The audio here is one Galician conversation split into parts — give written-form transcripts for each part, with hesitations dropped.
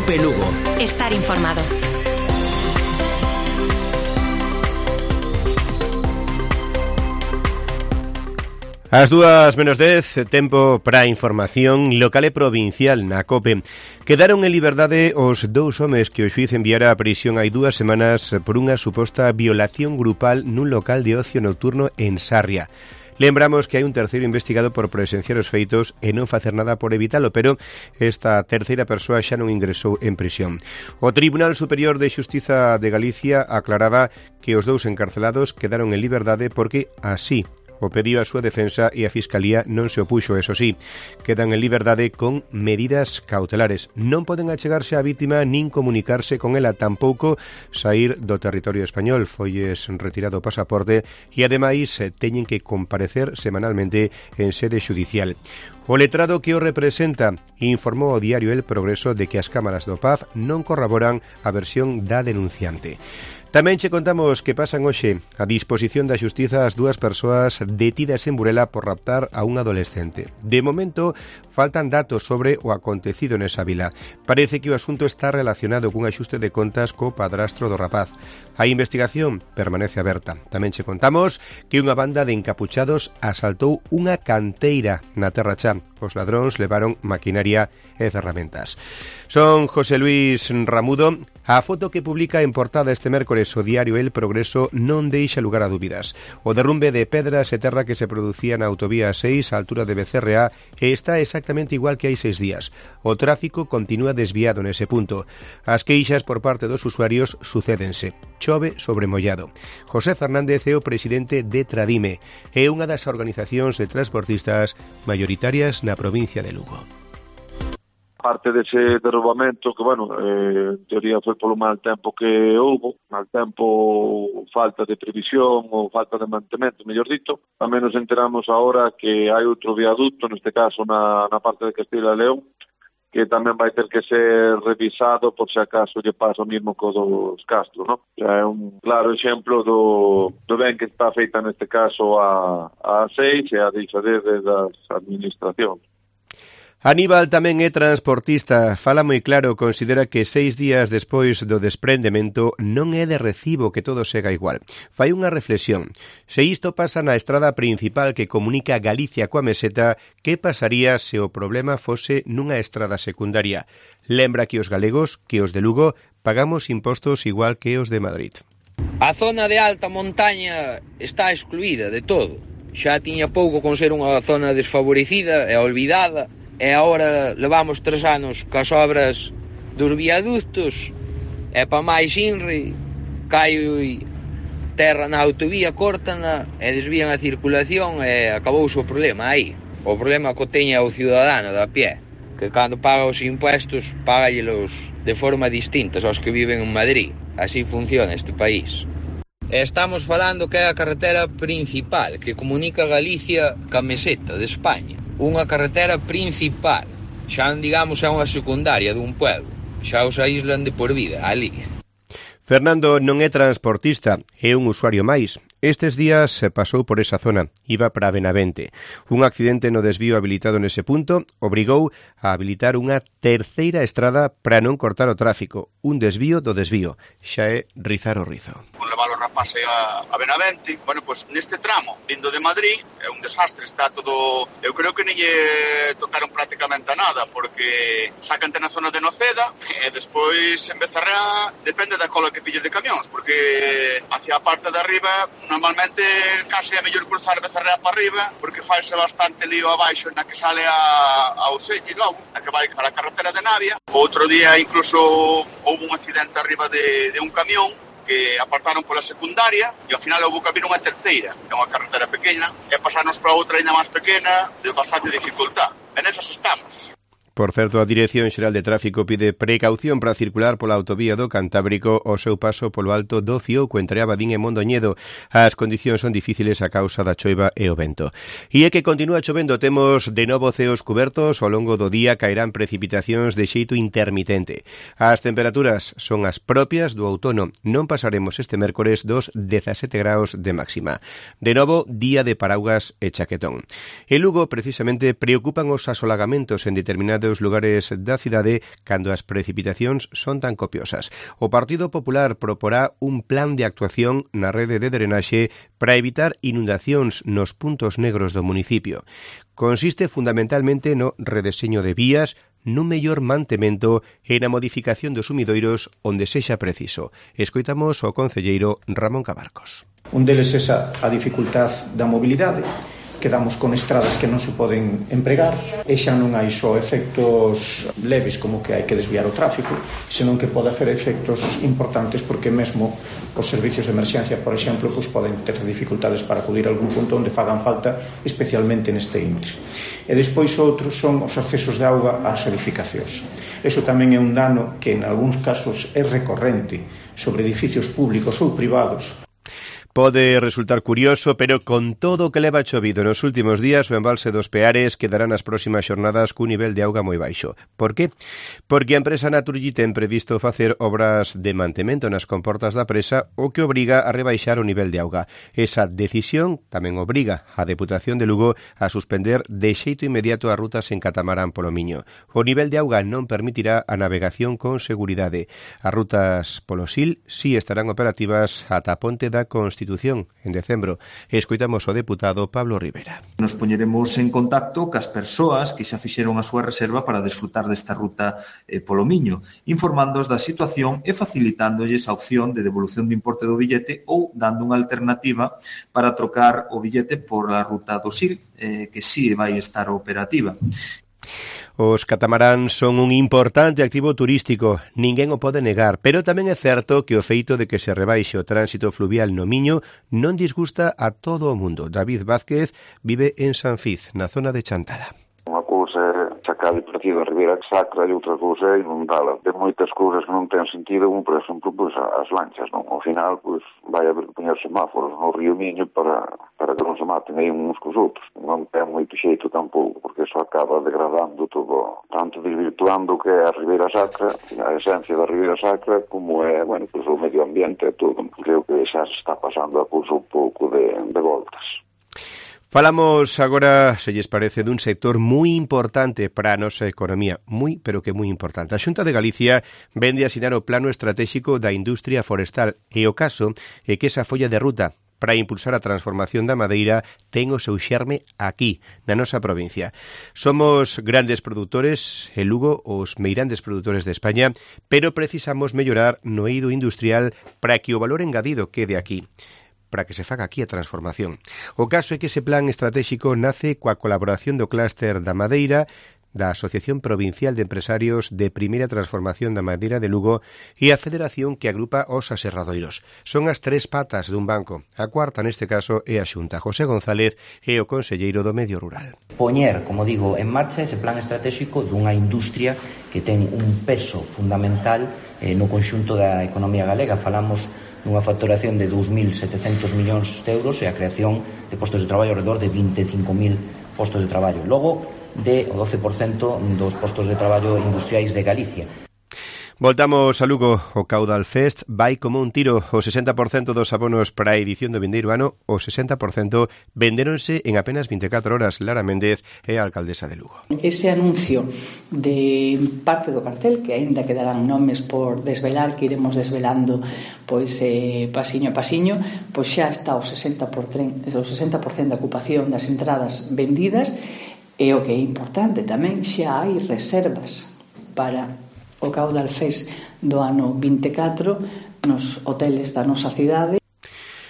COPE Lugo. Estar informado. As 2:10, tempo para a información local e provincial na COPE. Quedaron en liberdade os dous homes que o xuíz enviara a prisión hai 2 semanas por unha suposta violación grupal nun local de ocio nocturno en Sarria. Lembramos que hai un terceiro investigado por presenciar os feitos e non facer nada por evitalo, pero esta terceira persoa xa non ingresou en prisión. O Tribunal Superior de Xustiza de Galicia aclaraba que os dous encarcelados quedaron en liberdade porque así o pediu a súa defensa e a Fiscalía non se opuxo, eso sí. Quedan en liberdade con medidas cautelares. Non poden achegarse á vítima nin comunicarse con ela, tampouco sair do territorio español. Folles retirado o pasaporte e ademais teñen que comparecer semanalmente en sede xudicial. O letrado que o representa informou ao diario El Progreso de que as cámaras do PAF non corroboran a versión da denunciante. Tamén che contamos que pasan hoxe a disposición da Xustiza as 2 persoas detidas en Burela por raptar a un adolescente. De momento, faltan datos sobre o acontecido nesa vila. Parece que o asunto está relacionado cun axuste de contas co padrastro do rapaz. A investigación permanece aberta. Tamén che contamos que unha banda de encapuchados asaltou unha canteira na Terra Chá. Os ladróns levaron maquinaria e ferramentas. Son José Luis Ramudo. A foto que publica en portada este mércores o diario El Progreso non deixa lugar a dúbidas. O derrumbe de pedras e terra que se producía na autovía 6 á altura de Becerreá está exactamente igual que hai 6 días. O tráfico continúa desviado nese punto. As queixas por parte dos usuarios sucédense. Chove sobre mollado. José Fernández é o presidente de Tradime. É unha das organizacións de transportistas maioritarias na provincia de Lugo. Parte dese derrubamento que, en teoría foi polo mal tempo que houve, mal tempo, falta de previsión ou falta de mantemento, mellor dito. Tamén nos enteramos agora que hai outro viaducto, neste caso na parte de Castilla e León, que tamén vai ter que ser revisado por se acaso lle pasa o mismo co dos Castro, non? É un claro exemplo do ben que está feita neste caso a 6 e a deixadez das administracións. Aníbal tamén é transportista. Fala moi claro, considera que 6 días despois do desprendemento non é de recibo que todo sega igual. Fai unha reflexión. Se isto pasa na estrada principal que comunica Galicia coa Meseta, que pasaría se o problema fose nunha estrada secundaria? Lembra que os galegos, que os de Lugo, pagamos impostos igual que os de Madrid. A zona de alta montaña está excluída de todo. Xa tiña pouco con ser unha zona desfavorecida e olvidada. E agora levamos 3 anos cas obras dos viaductos e pa máis inri cae terra na autovía, córtana e desvían a circulación e acabouse o problema aí. O problema que teña o ciudadano da pie, que cando paga os impuestos págallelos de forma distinta aos que viven en Madrid. Así funciona este país. E estamos falando que é a carretera principal que comunica Galicia ca Meseta de España. Unha carretera principal, xa non digamos é unha secundaria dun pueblo, xa os aíslan de por vida ali. Fernando non é transportista, é un usuario máis. Estes días se pasou por esa zona, iba para Benavente. Un accidente no desvío habilitado nese punto obrigou a habilitar unha terceira estrada para non cortar o tráfico. Un desvío do desvío, xa é rizar o rizo. Levar o rapaz a Benavente, neste tramo, vindo de Madrid, é un desastre, está todo... Eu creo que non lle tocaron prácticamente a nada, porque sacante na zona de Noceda, e despois en Becerreá, depende da cola que pilles de camións, porque hacia a parte de arriba, normalmente case é mellor cruzar Becerreá para arriba, porque faise bastante lío abaixo na que sale ao Selle logo, a que vai para a carretera de Navia. Outro día incluso houve un accidente arriba de un camión, que apartaron pola secundaria e ao final houve que abrir unha terceira, que é unha carretera pequena, e pasarnos para outra ainda máis pequena de bastante dificultad. E nesas estamos. Por certo, a Dirección Xeral de Tráfico pide precaución para circular pola autovía do Cantábrico ao seu paso polo alto do Fiouco entre Abadín e Mondoñedo. As condicións son difíciles a causa da choiva e o vento. E é que continúa chovendo, temos de novo ceos cubertos, ao longo do día caerán precipitacións de xeito intermitente. As temperaturas son as propias do outono. Non pasaremos este mércores dos 17 graus de máxima. De novo, día de paraugas e chaquetón. En Lugo, precisamente, preocupan os asolagamentos en determinados dos lugares da cidade cando as precipitacións son tan copiosas. O Partido Popular proporá un plan de actuación na rede de drenaxe para evitar inundacións nos puntos negros do municipio. Consiste fundamentalmente no redeseño de vías, nun mellor mantemento e na modificación dos sumidoiros onde sexa preciso. Escoitamos o concelleiro Ramón Cabarcos. Un deles é a dificultad da mobilidade. Quedamos con estradas que non se poden empregar e xa non hai só efectos leves como que hai que desviar o tráfico, senón que pode hacer efectos importantes porque mesmo os servicios de emerxencia, por exemplo, poden ter dificultades para acudir a algún punto onde fagan falta, especialmente neste intre. E despois outros son os accesos de auga ás edificacións. Iso tamén é un dano que en algúns casos é recorrente sobre edificios públicos ou privados. Pode resultar curioso, pero con todo o que leva chovido nos últimos días, o embalse dos Peares quedará nas próximas xornadas cun nivel de auga moi baixo. Por qué? Porque a empresa Naturgy ten previsto facer obras de mantemento nas comportas da presa, o que obriga a rebaixar o nivel de auga. Esa decisión tamén obriga a Deputación de Lugo a suspender de xeito inmediato as rutas en catamarán polo Miño. O nivel de auga non permitirá a navegación con seguridade. As rutas polo Sil si estarán operativas ata a ponte da Constitución en decembro. Escoitamos o deputado Pablo Rivera. Nos poñeremos en contacto cas persoas que xa fixeron a súa reserva para desfrutar desta ruta polo Miño, informándoos da situación e facilitándolles a opción de devolución de importe do billete ou dando unha alternativa para trocar o billete por a ruta do Sil, que si vai estar operativa. Os catamaráns son un importante activo turístico, ninguén o pode negar, pero tamén é certo que o feito de que se rebaixe o tránsito fluvial no Miño non disgusta a todo o mundo. David Vázquez vive en Sanfiz, na zona de Chantada. Unha cousa é sacar de partido a Ribeira Sacra e outra cousa é inundala. De moitas cousas que non ten sentido, como por exemplo as lanchas, non? Ao final, vai haber que poñer semáforos no río Miño para que non se maten aí uns cos outros. Non ten moito xeito tampouco, porque iso acaba degradando todo, tanto desvirtuando o que é a Ribeira Sacra, a esencia da Ribeira Sacra, como é, o medio ambiente e todo. Creo que xa se está pasando a cousa un pouco de voltas. Falamos agora, se lles parece, dun sector moi importante para a nosa economía, pero que moi importante. A Xunta de Galicia vende a asinar o Plano Estratégico da Industria Forestal e o caso é que esa folla de ruta para impulsar a transformación da madeira ten o seu xerme aquí, na nosa provincia. Somos grandes produtores, en Lugo, os meirandes produtores de España, pero precisamos mellorar no eido industrial para que o valor engadido quede aquí, para que se faga aquí a transformación. O caso é que ese plan estratégico nace coa colaboración do clúster da madeira, da Asociación Provincial de Empresarios de Primeira Transformación da Madeira de Lugo e a Federación que agrupa os aserradoiros. Son as tres patas dun banco. A cuarta, neste caso, é a Xunta. José González é o conselleiro do Medio Rural. Poñer, como digo, en marcha ese plan estratégico dunha industria que ten un peso fundamental no conxunto da economía galega. Falamos nunha facturación de 2.700 millóns de euros e a creación de postos de traballo alrededor de 25.000 postos de traballo. Logo, de o 12% dos postos de traballo industriais de Galicia. Voltamos a Lugo. O Caudal Fest vai como un tiro. O 60% dos abonos para a edición do vindeiro ano, o 60% vendéronse en apenas 24 horas. Lara Méndez é a alcaldesa de Lugo. Ese anuncio de parte do cartel, que aínda quedarán nomes por desvelar, que iremos desvelando pasiño a pasiño, xa está o 60% da ocupación das entradas vendidas. E o que é importante tamén, xa hai reservas para o Caudal Fest do ano 24 nos hoteles da nosa cidade.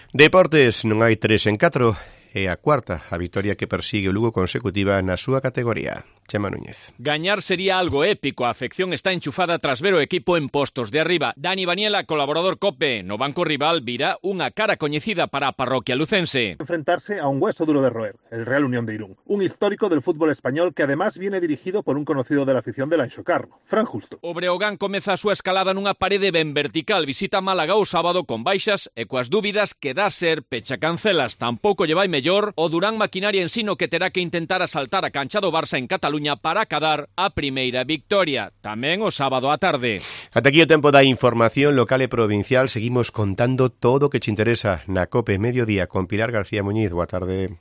Deportes, non hai 3 en 4, é a cuarta a vitoria que persigue o Lugo consecutiva na súa categoría. Chema Núñez. Gañar sería algo épico. A afección está enchufada tras ver o equipo en postos de arriba. Dani Baniela, colaborador COPE. No banco rival virá unha cara coñecida para a parroquia lucense. Enfrentarse a un hueso duro de roer, el Real Unión de Irún. Un histórico del fútbol español que además viene dirigido por un conocido de la afición del Anxo Carro, Fran Justo. O Breogán comeza a súa escalada nunha parede ben vertical. Visita Málaga o sábado con baixas e coas dúbidas que dá ser pecha cancelas. Tampouco lle vai mellor o Durán Maquinaria Ensino, que terá que intentar asaltar a cancha do Barça en Cataluña para acadar a primeira victoria, tamén o sábado á tarde. Ata aquí o tempo da información local e provincial. Seguimos contando todo o que te interesa na COPE Mediodía con Pilar García Muñiz. Boa tarde.